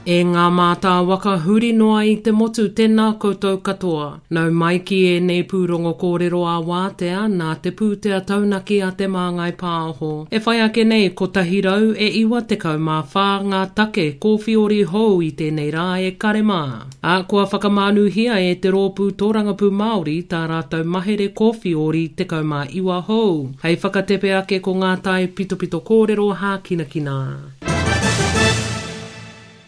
E ngā mātāwaka huri noa i te motu tēnā koutou katoa. Nau mai ki ēnei pūrongo kōrero ā-wātea nā te pūtea taunaki a Te Māngai Pāho. E whai ake nei 100 e 94 ngā take kōwhiori hou i tēnei rā e kare mā. Ā, kua whakamānuhia e te Rōpū Tōrangapū Māori tā rātou mahere kōwhiori 19 hou. Hei whakatepe ake ko ngā tae pitopito kōrero hākinakina.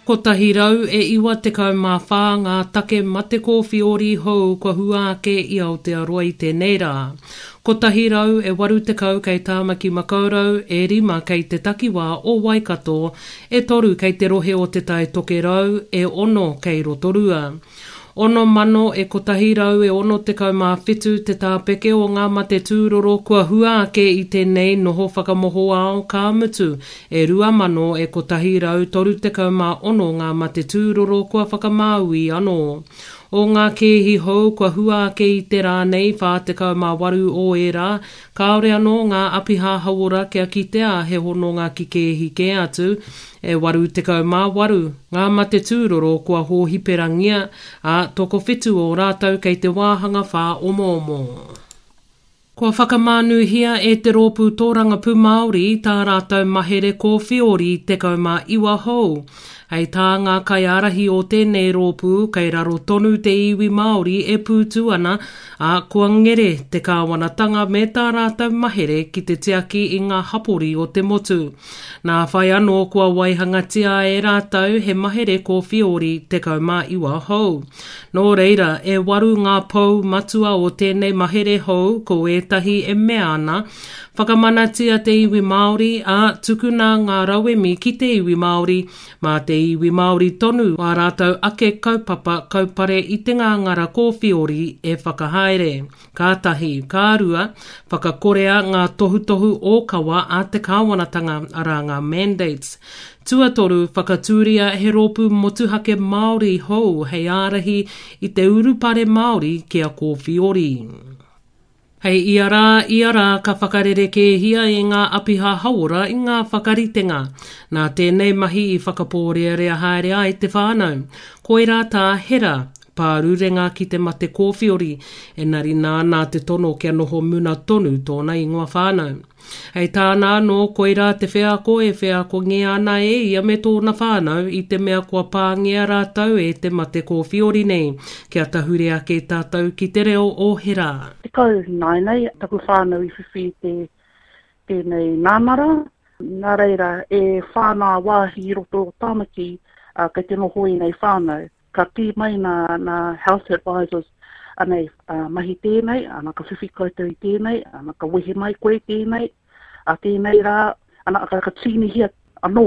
194 ngā take mate kōwhiori hou kua hua ake i Aotearoa i tēnei rā. 180 kei Tāmaki Makaurau, e rima kei te takiwā o Waikato, e toru kei te rohe o Te Tai Tokerau, e ono kei Rotorua. 6,000 e 167 te tāpeke o ngā mate tūroro kua hua ake i tēnei noho whakamohoao, ka mutu, e 2,000 e 136 ngā mate tūroro kua whakamāui anō. O ngā kēhi hou kua hua ake i te rā nei, 48 o ērā, kāore anō ngā apiha hauora kia kitea he hononga ki kēhi kē atu, E 88 ngā mate tūroro kua hōhiperangia, ā, tokowhitu o rātou kei te wāhanga whāomoomo. Kua whakamānuhia e te Rōpū Tōrangapū Māori tā rātou mahere kōwhiori 19 hou. Hei tā ngā kaiārahi o tēnei rōpū, kei raro tonu te iwi Māori e pūtu ana, ā, kua ngere te kāwanatanga me tā rātou mahere ki te tiaki i ngā hapori o te motu. Nā whai anō kua waihangatia e rātou he mahere kōwhiori 19 hou. Nō reira, e waru ngā pou matua o tēnei mahere hou ko ētahi e mea ana, whakamanatia te iwi Māori, ā, tukuna ngā rauemi ki te iwi Māori, mā te iwi Māori tonu ā rātou ake kaupapa kaupare i te ngāngara kōwhiori e whakahaere. Ka tahi, ka rua, whakakorea ngā tohutohu ōkawa a te kāwanatanga, arā ngā mandates. Tuatoru, whakatūria he rōpū motuhake Māori hou hei ārahi i te urupare Māori ki a Kōwhiori. Hei ia rā, ia rā ka whakarerekēhia e ngā apiha hauora i ngā whakaritenga. Nā tēnei mahi i whakapōrearea haere ai te whānau. Koirā tā Hera, Pārurenga ki te mate kōwhiori, enari nāna te tono kia noho muna tonu tōna ingoa whānau. Hei tāna anō, koirā te wheako e wheakongia ana e ia me tōna whānau i te mea kua pāngia rātou e te mate kōwhiori nei. Kia tahuri ake tātou ki te reo o Hera. 10 nāianei taku whānau i whiwhi i te tēnei nānara, nā reira e whā nā wāhi i roto o Tāmaki kei te noho ēnei whānau. Ka kī mai nā, nā health advisors, anei, uh, mahi tēnei, ana ka whiwhi koutou i tēnei, ana ka wehe mai koe tēnei, a tēnei rā, ana ka, ka tīnihia anō.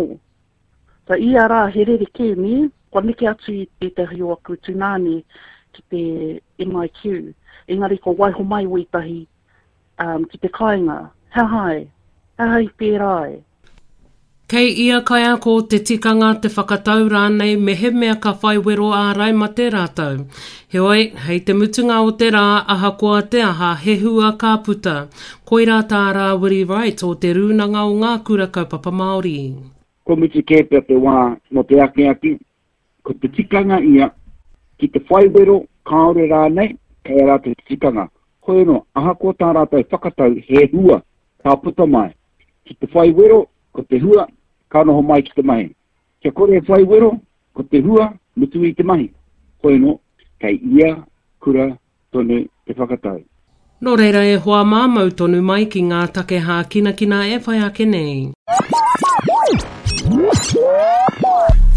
So ia rā he rerekē, nē, kua neke atu i tētahi o aku tūnāne ki te MIQ, engari kua waiho mai wētahi um, ki te kāinga, he aha ai? He aha i pērā ai? Kei ia kaiako te tikanga te whakatau rānei mehemea ka whai wero ārai mate rātou. Heoi, hei te mutunga o te rā, ahakoa te aha, he hua ka puta. Koirā tā Rāwiri Wright o Te Rūnanga o Ngā Kura Kaupapa Māori. Kua mutu kē pea te wā mō te akiaki, Ko te tikanga ia, ki te whai wero, kāore rānei, kei a rātou te tikanga. Hoi anō, ahakoa tā rātou whakatau, he hua ka puta mai. Ki te whai wero, ko te hua, ka noho mai ki te mahi. Kia kore e whai wero, ko te hua, mutu i te mahi. Hoi anō, kei ia kura tonu te whakatau. Nō reira e hoa mā mau tonu mai ki ngā take hākinakina e whai ake nei.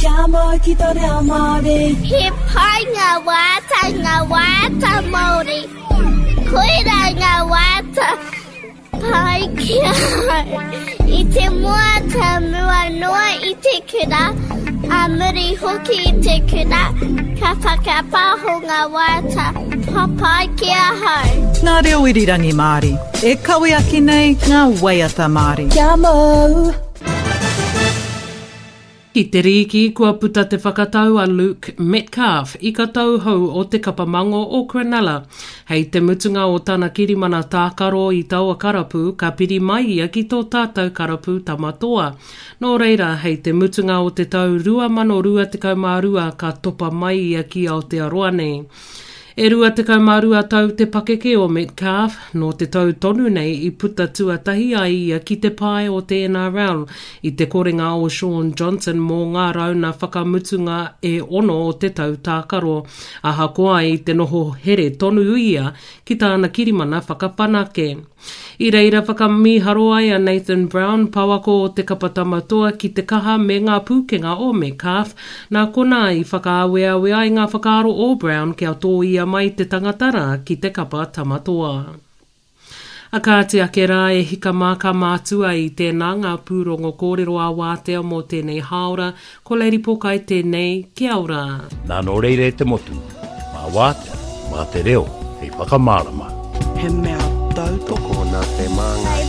Kia mau ki tō reo Māori. He pai ngā waiata, ngā waiata Māori. Koirā ngā waiata Pai ki ahau. I te mua ka mua noa i te kura, a muri hoki i te kura, ka whakapaho nga waiata papai ki ahau. Ngā reo irirangi Māori, e kawe ake nei ngā waiata Māori. Kia mau! Ki te rīki, kua puta te whakatau a Luke Metcalf i ka tauhou o te kapa mango o Cronulla. Hei te mutunga o tana kirimana tākaro i taua karapu, ka piri mai ia ki tō tātou karapu Tama Toa. Nō reira, hei te mutunga o te tau 2022 ka topa mai ia ki Aotearoa nei. E 22 tau te pakeke o Metcalfe, nō te tau tonu nei i puta tuatahi ai ia ki te pae o te NRL i te korenga o Shaun Johnson mō ngā rauna whakamutunga e ono o te tau tākaro, ahakoa i te noho here tonu ia ki tāna kirimana whakawhanake. I reira whakamīharo ai a Nathan Brown, pouako o te kapa Tama Toa ki te kaha me ngā pūkenga o Metcalfe, nā konā i whakaaweawe ai ngā whakaaro o Brown kia tōia mai te tangata rā ki te kapa Tama Toa. A kāti ake rā e hika mā ka mātua i tēnā ngā pūrongo kōrero ā-wātea mō tēnei hāora, ko Lady Pokai tēnei, kia ora. Nā nō reira e te motu, mā Wātea, mā te reo hei whakamārama. He mea tautoko nā te Māngai.